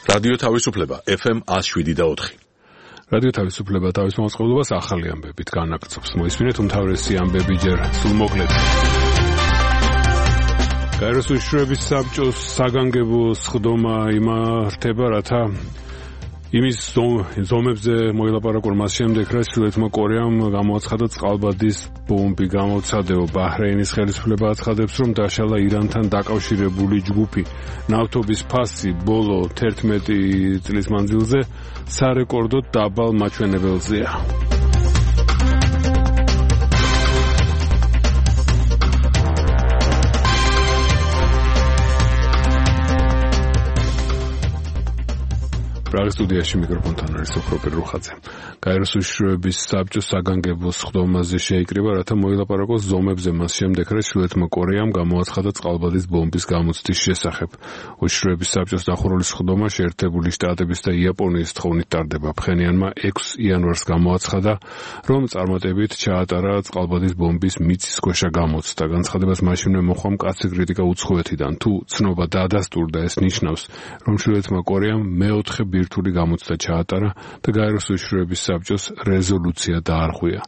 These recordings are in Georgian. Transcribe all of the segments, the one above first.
რადიო თავისუფლება FM 107.4. რადიო თავისუფლება თავის მოწყობილობას ახალი ამბებით განაგრძობს. მოისმინეთ უმთავრესი ამბები ჯერ სულმოკლედ. გაეროს უშიშროების საბჭოს საგანგებო სხდომა იმართება, რათა იმის ზომებზე მოილაპარაკონ მას შემდეგ, რაც ჩრდილოეთმა კორეამ გამოაცხადა წყალბადის ბომბი. გამოცადეო ბაჰრეინის ხელისუფლება აცხადებს, რომ დაშალა ირანთან დაკავშირებული ჯგუფი. ნავთობის ფასი ბოლო 11 წლის მანძილზე სარეკორდოდ დაბალ მაჩვენებელზეა. პრაღის სტუდიაში მიკროფონთან არის ოქროპერ რუხაძე. გაეროს უშიშროების საბჭოს საგანგებო სხდომაზე შეიკრიბა, რათა მოილაპარაკოს ზომებზე მას შემდეგ, რაც ჩრდილოეთმა კორეამ გამოაცხადა წყალბადის ბომბის გამოცდის შესახებ. უშიშროების საბჭოს დახურული სხდომა შეერთებული შტატების და იაპონიის თხოვნით ტარდება. ფხენიანმა 6 იანვარს გამოაცხადა, რომ წარმატებით ჩაატარა წყალბადის ბომბის მიწისქვეშა გამოცდა. განცხადებას მაშინვე მოჰყვა მკაცრი კრიტიკა უცხოეთიდან. თუ ცნობა დაადასტურდა, ეს ნიშნავს, რომ ჩრდილოეთმა კორეამ მეოთხე ბირთვული გამოცდა ჩაატარა და გაეროს უშიშროების საბჭოს რეზოლუცია დაარღვია.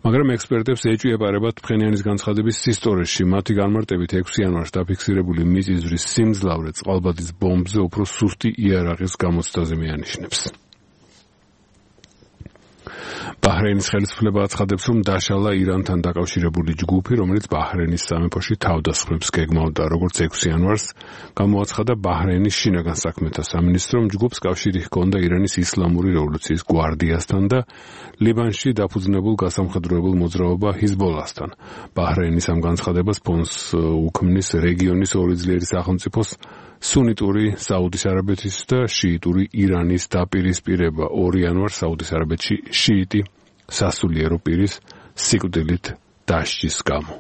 მაგრამ ექსპერტებს ეჭვიებარებათ ფხენიანის განცხადების სისტორიში. მათი განმარტებით 6 იანვარს დაფიქსირებული მიწისძვრის სიმძლავრე წყალბადის ბომბზე უფრო სუსტი იარაღის გამოცდაზე მიანიშნებს. ბაჰრეინის ხელისუფლება აცხადებს, რომ დაშალა ირანთან დაკავშირებული ჯგუფი, რომელიც ბაჰრეინის სამეფოში თავდასხმებს გეგმავდა. როგორც 6 იანვარს გამოაცხადა ბაჰრეინის შინაგან საქმეთა სამინისტრო, რომ ჯგუფს კავშირი ჰქონდა ირანის ისლამური რევოლუციის გვარდიასთან და ლიბანში დაფუძნებულ გასამხედროებულ მოძრაობა ჰიზბოლასთან. ბაჰრეინის ამ განცხადებას ფონს უქმნის რეგიონის ორი ძლიერი სახელმწიფოს სუნიტური საუდის არაბეთის და შიიტური ირანის დაპირისპირება. 2 იანვარს საუდის არაბეთში შიიტი სასულიერო პირის სიკვდილით დასჯის გამო.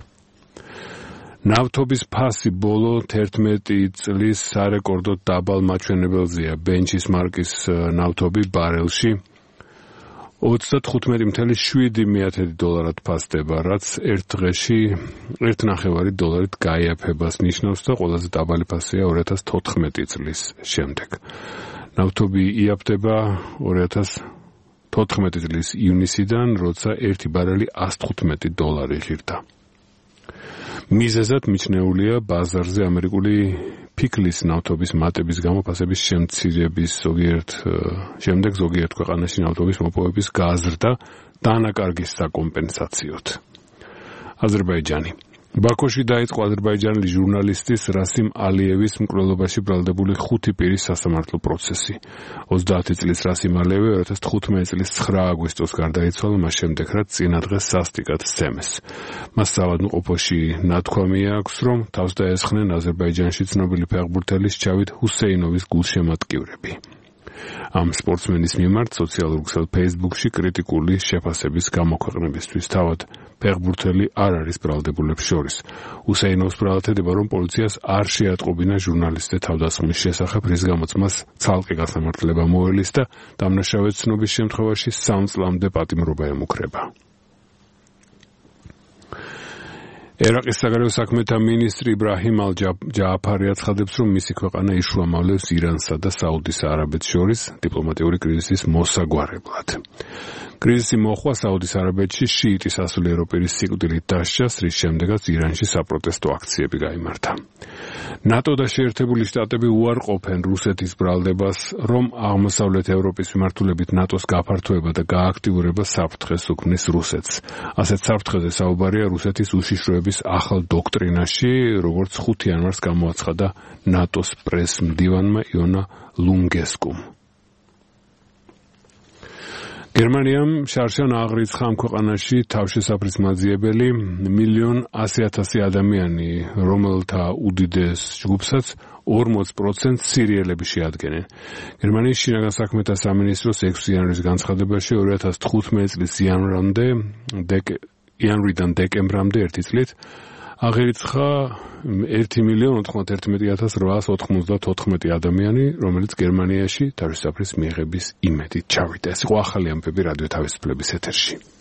ნავთობის ფასი ბოლო 11 წლის სარეკორდოდ დაბალ მაჩვენებელზეა. ბენჩის მარკის ნავთობი ბარელში 35.7 დოლარად ფასდება, რაც ერთ დღეში $1.5 გაიაფებას ნიშნავს და ყველაზე დაბალი ფასია 2014 წლის შემდეგ. ნავთობი იაფდება 2014 წლის ივნისიდან, როცა ერთი ბარელი $115 ღირდა. მიზეზად მიჩნეულია ბაზარზე ამერიკული ფიქლის ნავთობის მატების გამო ფასების შემცირების შემდეგ ზოგიერთ ქვეყანაში ნავთობის მოპოვების გაზრდა დანაკარგის საკომპენსაციოდ. აზერბაიჯანი. ბაქოში დაიწყო აზერბაიჯანელი ჟურნალისტის რასიმ ალიევის მკვლელობაში ბრალდებული 5 პირის სასამართლო პროცესი. 30 წლის რასიმ ალიევი 2015 წლის 9 აგვისტოს გარდაიცვალა მას შემდეგ, რაც წინა დღეს სასტიკად სცემეს. მას საავადმყოფოში ნათქვამი აქვს, რომ თავს დაესხნენ აზერბაიჯანში ცნობილი ფეხბურთელის ჩავით ჰუსეინოვის გულშემატკივრები. ამ სპორტსმენის მიმართ სოციალურ ქსელ Facebook-ში კრიტიკული შეფასების გამოქვეყნებისთვის. თავად ფეხბურთელი არ არის ბრალდებულებს შორის. ჰუსეინოვის ბრალდება, რომ პოლიციას არ შეატყობინა ჟურნალისტზე თავდასხმის შესახებ, რის გამოც მას ცალკე გასამართლება მოელის და დამნაშავე ცნობის შემთხვევაში 3 წლამდე პატიმრობა ემუქრება. ერაყის საგარეო საქმეთა მინისტრი იბრაჰიმ ალ-ჯააფარი აცხადებს, რომ მისი ქვეყანა იშუამავლებს ირანსა და საუდის არაბეთს შორის დიპლომატიური კრიზისის მოსაგვარებლად. კრიზისი მოხდა საუდის არაბეთში შიიტი სასულიერო პირის სიკვდილით დასჯას, რის შემდეგაც ირანში საპროტესტო აქციები გაიმართა. ნატო და შეერთებული შტატები უარყოფენ რუსეთის ბრალდებას, რომ აღმოსავლეთ ევროპის მიმართულებით ნატოს გაფართოება და გააქტიურება საფრთხეს უქმნის რუსეთს. ასეთ საფრთხეზე საუბარია რუსეთის უშიშროების ახალ დოქტრინაში, როგორც 5 იანვარს გამოაცხადა ნატოს პრეს-მდივანმა იონა ლუნგესკუმ. გერმანიამ შარშან აღრიცხა ამ ქვეყანაში თავშესაფრის მაძიებელი 1,100,000 ადამიანი, რომელთა უდიდეს ჯგუფსაც 40% სირიელები შეადგენენ. გერმანიის შინაგან საქმეთა სამინისტროს 6 იანვრის განცხადებაში 2015 წლის იანვრიდან დეკემბრამდე ერთი წლით აღირიცხა 1,091,894 ადამიანი, რომელიც გერმანიაში თავშესაფრის მიღების იმედით ჩავიდა. ეს იყო ახალი ამბები რადიო თავისუფლების ეთერში.